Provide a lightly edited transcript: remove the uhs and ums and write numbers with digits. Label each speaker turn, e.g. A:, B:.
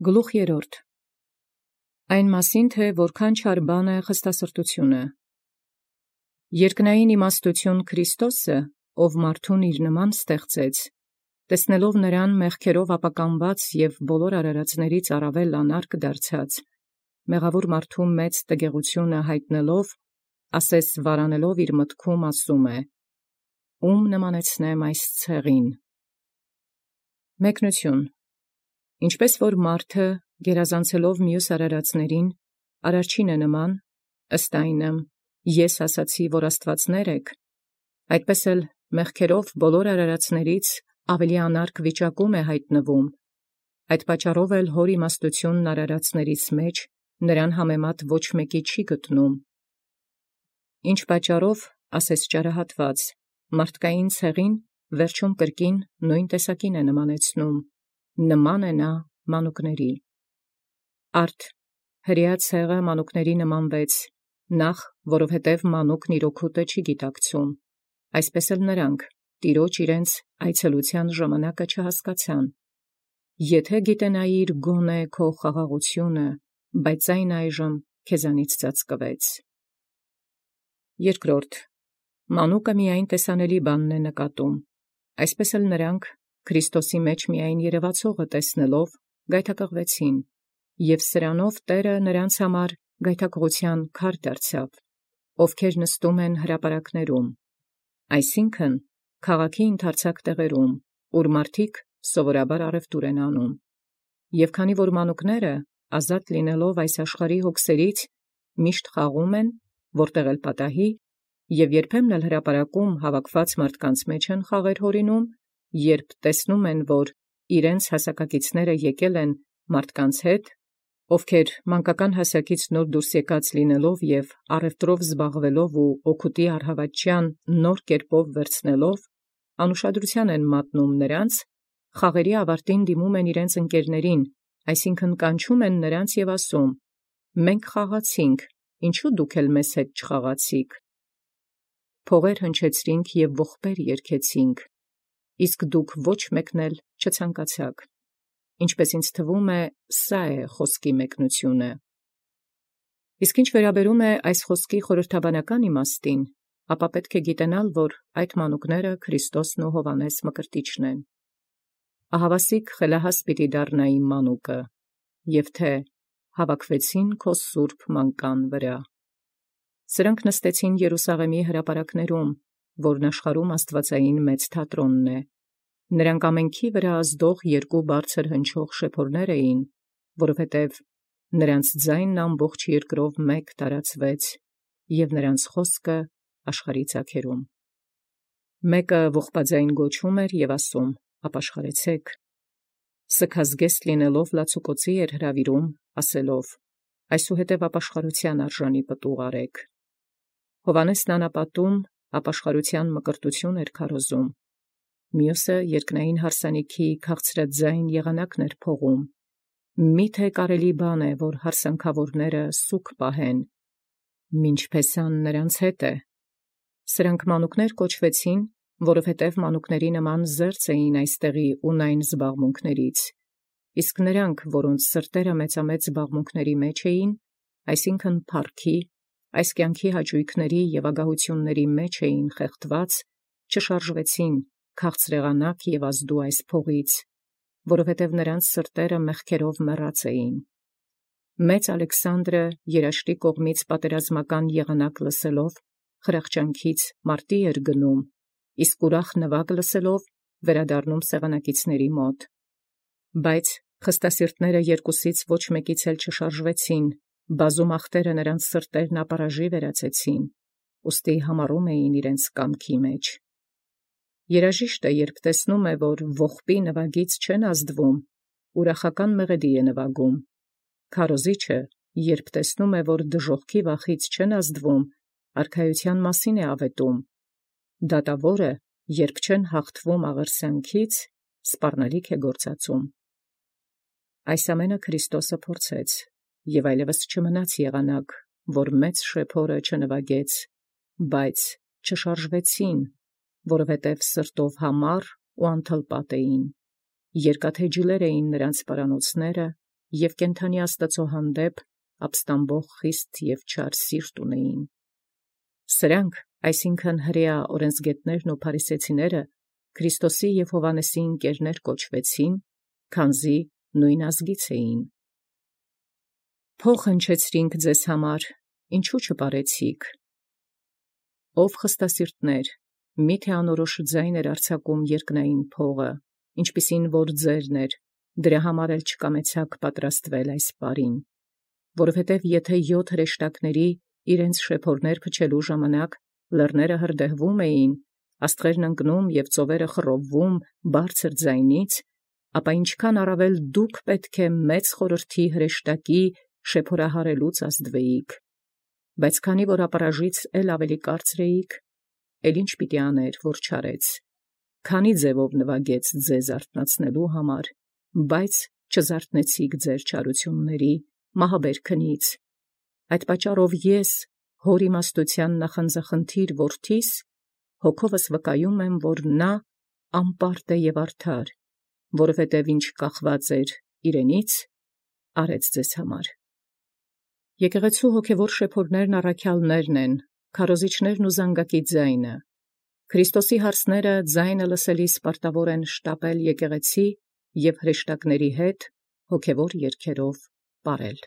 A: Գլուխ երրորդ. Այն մասին թե որքան չար բան է խստասրտությունը։ Երկնային իմաստություն Քրիստոսը, ով մարդուն իր նման ստեղծեց, տեսնելով նրան մեղքերով ապականված և բոլոր արարածներից առավել անարգ դարձած, մեղավոր մարդու մեծ տգեղությունը հայտնելով, ասես վարանելով իր մտքում ասում է. «Ում նմանեցնեմ այս ցեղին»։ Մեկնություն. Ինչպես որ մարդը, գերազանցելով մյուս արարածներին, արարչին է նման, ըստ այնմ, ես ասացի, որ աստվածներ եք, այդպես էլ մեղքերով բոլոր արարածներից ավելի անարգ վիճակում է հայտնվում, այդ պատճառով էլ հոր իմաստությունն արարածներից մեջ նրան համեմատ ոչ մեկի չի գտնում։ Ինչ պատճառով, ասես ճարահատված, մարդկային ցեղին վերջում կրկին նույն տեսակին է նմանեցնում, նման է նա մանուկների։ Արդ հրեա ցեղը մանուկների նմանվեց, նախ որովհետև մանուկն իր օգուտը չի գիտակցում, այսպես էլ նրանք Տիրոջ իրենց այցելության ժամանակը չհասկացան։ Եթե գիտենայիր գոնե քո խաղաղությունը, բայց այն այժմ քեզանից ծածկվեց։ Երկրորդ. մանուկը միայն տեսանելի բանն է նկատում, այսպես էլ նրանք Քրիստոսի մեջ միայն երևացողը տեսնելով գայթակղվեցին, և սրանով Տերը նրանց համար գայթակղության քար դարձավ, ովքեր նստում են հրապարակներում, այսինքն քաղաքի ընդարձակ տեղերում, ուր մարդիկ սովորաբար առևտուր են անում, և քանի որ մանուկները, ազատ լինելով այս աշխարհի հոգսերից, միշտ խաղում են, որտեղ էլ պատահի, և երբեմն էլ հրապարակում հավաքված մարդկանց մեջ են խաղեր հորինում, երբ տեսնում են, որ իրենց հասակակիցները եկել են մարդկանց հետ, ովքեր մանկական հասակից նոր դուրս եկած լինելով և առևտրով զբաղվելով ու օգուտի առհավատչյան նոր կերպով վերցնելով, անուշադրության են մատնում նրանց, խաղերի ավարտին դիմում են իրենց ընկերներին, այսինքն կանչում են նրանց և ասում. «Մենք խաղացինք, ինչու դուք էլ մեզ հետ չխաղացիք. փողեր հնչեցրինք և ողբեր երգեցինք, իսկ դուք ոչ մեկն էլ չցանկացաք»։ Ինչպես ինձ թվում է, սա է խոսքի մեկնությունը։ Իսկ ինչ վերաբերում է այս խոսքի խորհրդաբանական իմաստին, ապա պետք է գիտենալ, որ այդ մանուկները Քրիստոսն ու Հովհաննես Մկրտիչն են։ Ահավասիկ խելահաս պիտի դառնա իմ մանուկը, և թե հավաքվեցին քո սուրբ մանկան վրա։ Սրանք նստեցին Երուսաղեմի հրապարակներում, որն աշխարհում աստվածային մեծ թատրոնն է։ Նրանք ամենքի վրա ազդող երկու բարձր հնչող շեփորներ էին, որովհետև նրանց ձայնն ամբողջ երկրով մեկ տարածվեց, և նրանց խոսքը աշխարհի ծագերում։ Մեկը ողբաձայն գոչում էր և ասում. «Ապաշխարեցեք»։ Սգազգեստ լինելով լացուկոցի էր հրավիրում, ասելով. «Այսուհետև ապաշխարության արժանի պտուղ արեք»։ Հովհաննեսն անապատում ապաշխարության մկրտություն էր քարոզում, մյուսը երկնային հարսանիքի քաղցրաձայն եղանակն էր փողում։ Միթե կարելի բան է, որ հարսանքավորները սուգ պահեն, մինչ փեսան նրանց հետ է։ Սրանք մանուկներ կոչվեցին, որովհետև մանուկների նման զերծ էին այստեղի ունայն զբաղմունքներից, իսկ նրանք, որոնց սրտերը մեծամեծ զբաղմունքների մեջ էին, այսինքն փառքի, այս կյանքի հաճույքների և ագահությունների մեջ էին խեղդված, չշարժվեցին քաղցրեղանակ և ազդու այս փողից, որովհետև նրանց սրտերը մեղքերով մեռած էին։ Մեծ Ալեքսանդրը երաշտի կողմից պատերազմական եղանակ լսելով, խրախճանքից մարտի էր գնում, իսկ ուրախ նվագ լսելով վերադառնում սեղանակիցների մոտ։ Բայց խստասիրտները երկուսից ոչ մեկից էլ չշարժվեցին, բազում ախտերը նրանց սրտերն ապարաժի վերածեցին, ուստի համառում էին իրենց կամքի մեջ։ Երաժիշտը, երբ տեսնում է, որ ողբի նվագից չեն ազդվում, ուրախական մեղեդի է նվագում։ Քարոզիչը, երբ տեսնում է, որ դժոխքի վախից չեն ազդվում, արքայության մասին է ավետում։ Դատավորը, երբ չեն հաղթվում աղերսյանքից, սպառնալիք է գործածում։ Այս ամենը Քրիստոսը փորձեց, և այլևս չմնաց եղանակ, որ մեծ շեփորը չնվագեց, բայց չշարժվեցին, որովհետև սրտով համառ ու անթլպատ էին, երկաթե ջլեր էին նրանց պարանոցները, և կենթանի Աստուծոյ հանդեպ ապստամբող խիստ և չար սիրտ ունէին։ Սրանք, այսինքն հրեա օրենսգետներն ու փարիսեցիները, Քրիստոսի և Հովհաննեսի ընկերներ կոչվեցին, քանզի նոյն ազգից էին։ Փոխ հնչեցրինք ձեզ համար, ինչու չպարեցիք։ Ով խստասիրտներ, միթե անորոշ ձայն արձակում երկնային փողը, ինչպիսին որ ձերն էր, դրա համար էլ չկամեցաք պատրաստվել այս պարին, որովհետև եթե 7 հրեշտակների իրենց շեփորներ փչելու ժամանակ լեռները հրդեհվում էին, աստղերն ընկնում և ծովերը խռովվում բարձր ձայնից, ապա ինչքան առավել դուք պետք է մեծ խորհրդի հրեշտակի շեփորահարելուց ազդվեիք, բայց քանի որ ապառաժից էլ ավելի կարծր էիք, էլ ինչ պիտի աներ, որ չարեց, քանի ձևով նվագեց ձեզ արթնացնելու համար, բայց չզարթնեցիք ձեր չարությունների մահաբեր քնից, այդ պատճառով ես, հոր իմաստութեան նախանձախնդիր որդիս, հոգովս վկայում եմ, որ նա անպարտ է և արդար, որովհետև ինչ կախված էր իրենից, արեց ձեզ համար։ Եկեղեցու հոգևոր շեփորներն առաքյալներն են, քարոզիչներն ու զանգակի ձայնը։ Քրիստոսի հարցները ձայնը լսելիս պարտավոր են շտապել եկեղեցի և հրեշտակների հետ հոգևոր երգերով պարել։